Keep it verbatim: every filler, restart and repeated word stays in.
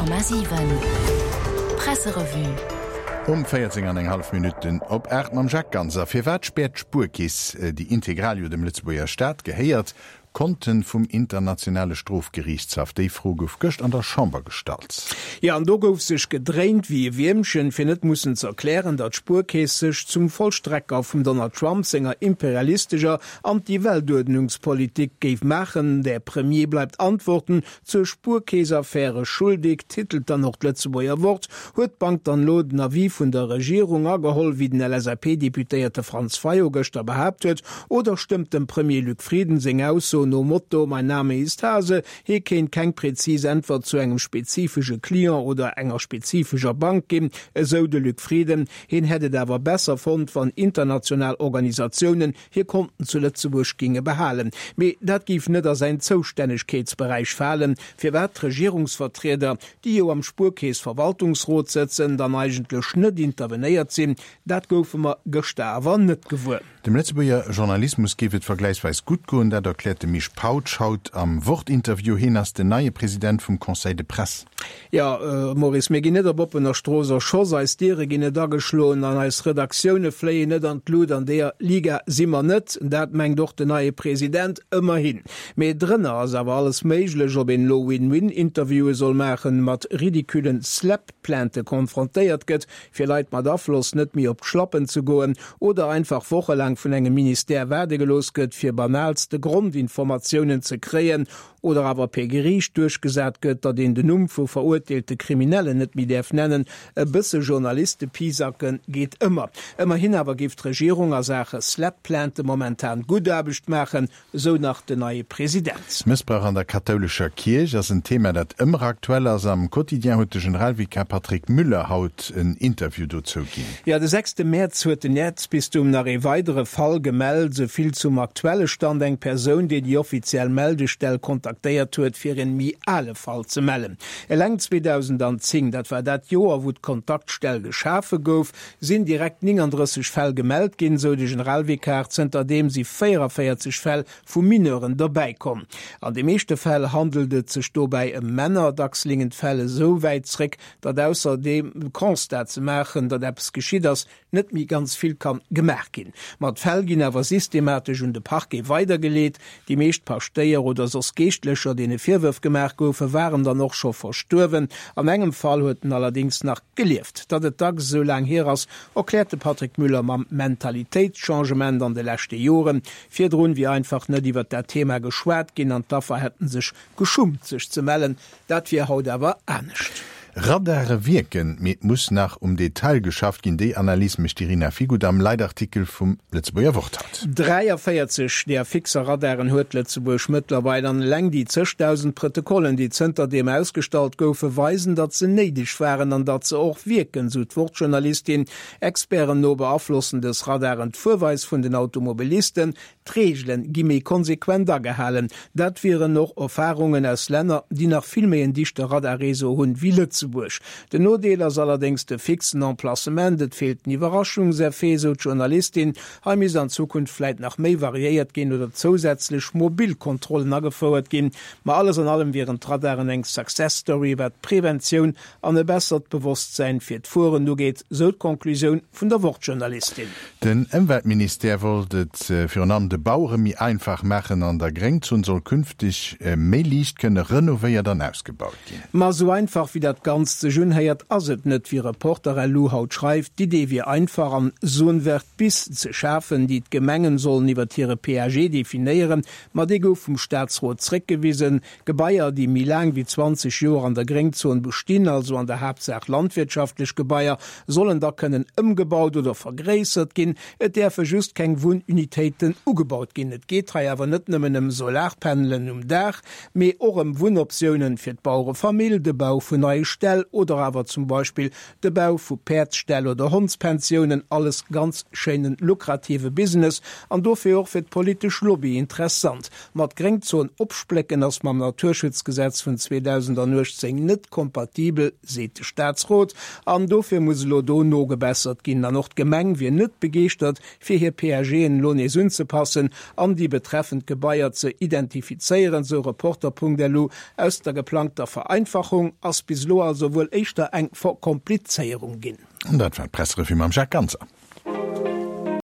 Komma siwen Presserevue. Um véierzéng an eng hallef Minutten op aacht mam Jacques Ganser. Firwat späert d'Spuerkeess, déi integral jo dem Lëtzebuerger Staat gehéiert, Konten vum Internationale Strofgeriichtshaff? Déi Fro gouf gëscht an der Chamber gestallt. Jo, an do gouf sech gedréint wéi e Wiermchen, fir net mussen ze erklären, datt d'Spuerkeess sech zum Vollstrecker vum Donald Trump senger imperialistescher Anti-Weltuerdnungspolitik géif maachen. Der Premier bleibt Antworten zur Spuerkeess-Affäre schuldig, titelt dann och d'Lëtzebuerger Wort. Huet d'Bank dann elo den Avis vun der Regierung ageholl, wéi den L S A P-Deputéierte Franz Fayot gëschter behaapt huet, oder stëmmt dem Premier Luc Frieden seng Ausso nom Motto Mein Name ist Hase, hie kéint keng präzis Äntwert zu engem spezifesche Client oder enger spezifescher Bank ginn, esou de Luc Frieden. Hien hätt et awer besser fonnt, wann international Organisatiounen hir Konten zu Lëtzebuerg ginge behalen. Mee dat géif net a säin Zoustännegkeetsberäich falen. Firwat d'Regierungsvertrieder, déi jo am Spuerkeess-Verwaltungsrot sëtzen, dann eigentlech net intervenéiert sinn, dat goufe mer gëschter awer net gewuer. Dem Lëtzebuerger Journalismus géif et vergläichsweis gutt goen, dat erkläert de Misch Pautsch haut am Wort-Interview. Hien ass den neie President vum Conseil de Presse. Jo, Maurice, mir ginn net op oppener Strooss erschoss, eis Diere ginn net ageschloen an eis Redaktioune fléien net an d'Lut. An deeër Liga si mer net. Dat mengt och den neie President, ëmmerhin. Mee drënner ass awer alles méiglech, ob een elo Win-Win-Interviewe soll maachen, mat ridicullen SLAPP-Plaintë konfrontéiert gëtt, fir Leit mat Afloss net méi op d'Schlappen ze goen, oder einfach wochelaang vun engem Ministère waarde gelooss gëtt, fir banaalste Grondinformatiounen ze kréien, oder awer per Geriicht duerchgesat gëtt, datt een den Numm vu verurteelte Kriminellen net méi däerf nennen. E bësse Journaliste-Pisacken geet ëmmer. Ëmmerhin awer géif d'Regierung a Saache SLAPP-Plaintë momentan gutt Aarbecht maachen, esou nach den neie President. Mëssbrauch an der kathoulescher Kierch ass en Thema, dat ëmmer aktuell ass. Am Quotidien huet de Generalvikar Patrick Müller haut en Interview dozou ginn. Jo, de sechste Mäerz huet den Äerzbistum nach ee weidere Fall gemellt. Esou vill zum aktuelle Stand, Eng Persoun, déi déi offiziell Meldestell kontaktéiert huet, fir en méi ale Fall ze mellen. Eleng zweedausendenzéng, dat war dat Joer, wou d'Kontaktstell geschafe gouf, sinn direkt nénganddrësseg Fäll gemellt ginn, sou de Generalvikar. Zënterdeem si véierevéierzeg Fäll vu Mineuren derbäi komm. An de meeschte Fäll handelt et sech dobäi ëm Männer. Dacks lingen d'Fäll esou wäit zréck, datt ausser dem Constat ze maachen, datt eppes geschitt ass, net méi ganz vill kann gemaach ginn. Ma d'Fäll ginn awer systematesch un de Parquet weidergeleet. Déi meescht Paschtéier oder soss Geeschtlecher, deene Virwërf gemaach goufen, waren dann och scho verstuerwen. An engem Fall huet en allerdéngs nach gelieft. Datt et dacks esou laang hier ass, erkläert de Patrick Müller mam Mentalitéitschangement an de leschte Joren. Virdrun wier einfach net iwwert dat Thema geschwat ginn an d'Affer hätten sech geschummt, sech ze mellen. Dat wier haut awer anescht. Radare wierken, mee et muss nach um Detail geschafft ginn. Déi Analys mécht d'Irina Figuth am Leitartikel vum Lëtzebuerger Wort haut. dräiavéierzeg där fixer Radaren huet Lëtzebuerg mëttlerweil an eleng déi zëchdausend Protokollen, déi zënterdeem ausgestallt goufen, weisen, datt se néideg waren an datt se och wierken, sou d'Wort-Journalistin. Experten no beaflossen dës Radaren d'Fuerweis vun den Automobilisten. D'Reegele gi méi konsequent agehalen. Dat wieren och Erfarungen aus Länner, déi nach vill méi en dichte Radarreseau hunn wéi Lëtzebuerg. Den Nodeel ass allerdéngs de fixen Emplacement, et feelt den Iwwerraschungseffet, sou d'Journalistin. Hei misst an Zukunft vläit nach méi variéiert ginn oder zousätzlech mobil Kontrollen agefouert ginn. Ma alles an allem wieren d'Radaren eng Success Story, wat d'Preventioun an e bessert Bewosstsäin fir d'Fueren ugeet, sou d'Konklusioun vun der Wort-Journalistin. Den Ëmweltministère wollt et virun allem de Bauere méi einfach maachen. An der Gréngzon soll künfteg méi liicht kënne renovéiert an ausgebaut ginn. Ma esou einfach wéi dat Ganzt sech unhéiert, ass et net, wéi Reporter punkt lu haut schreift. D'Idee wier einfach, an Zone verte bis ze schafen, déi d'Gemengen sollen iwwert hire P A G definéieren. Ma dee gouf vum Staatsrot zréckgewisen. Gebaier, déi méi laang wéi zwanzeg Joer an der Gréngzon bestinn, also an der Haaptsaach landwirtschaftlech Gebaier, sollen da kënnen ëmgebaut oder vergréissert ginn. Et däerfe just keng Wunnunitéiten ugebaut ginn. Et geet hei awer net nëmmen ëm Solarpanelen um Daach, mee och ëm Wunnoptiounen fir d'Bauerefamill, de Bau vun neie Ställ oder awer zum Beispill de Bau vu Päerdsställ oder Hondspensiounen. Alles ganz schéinen lukrative Business an dofir och fir d'politesch Lobby interessant. Ma d'Gréngzon opsplécken ass mam Naturschutzgesetz vun zweedausendanuechtzéng net kompatibel, seet de Staatsrot, an dofir muss elo do nogebessert ginn. An och d'Gemeng wier net begeeschtert, fir hir P A Gen elo nees unzepassen. unzepassen an déi betreffend Gebaier ze identifizéieren, sou Reporter.lu. Aus der geplangter Vereinfachung ass bis elo also wuel éischter eng Verkomplizéierung ginn. An dat war d'Presserevue mam Jacques Ganser.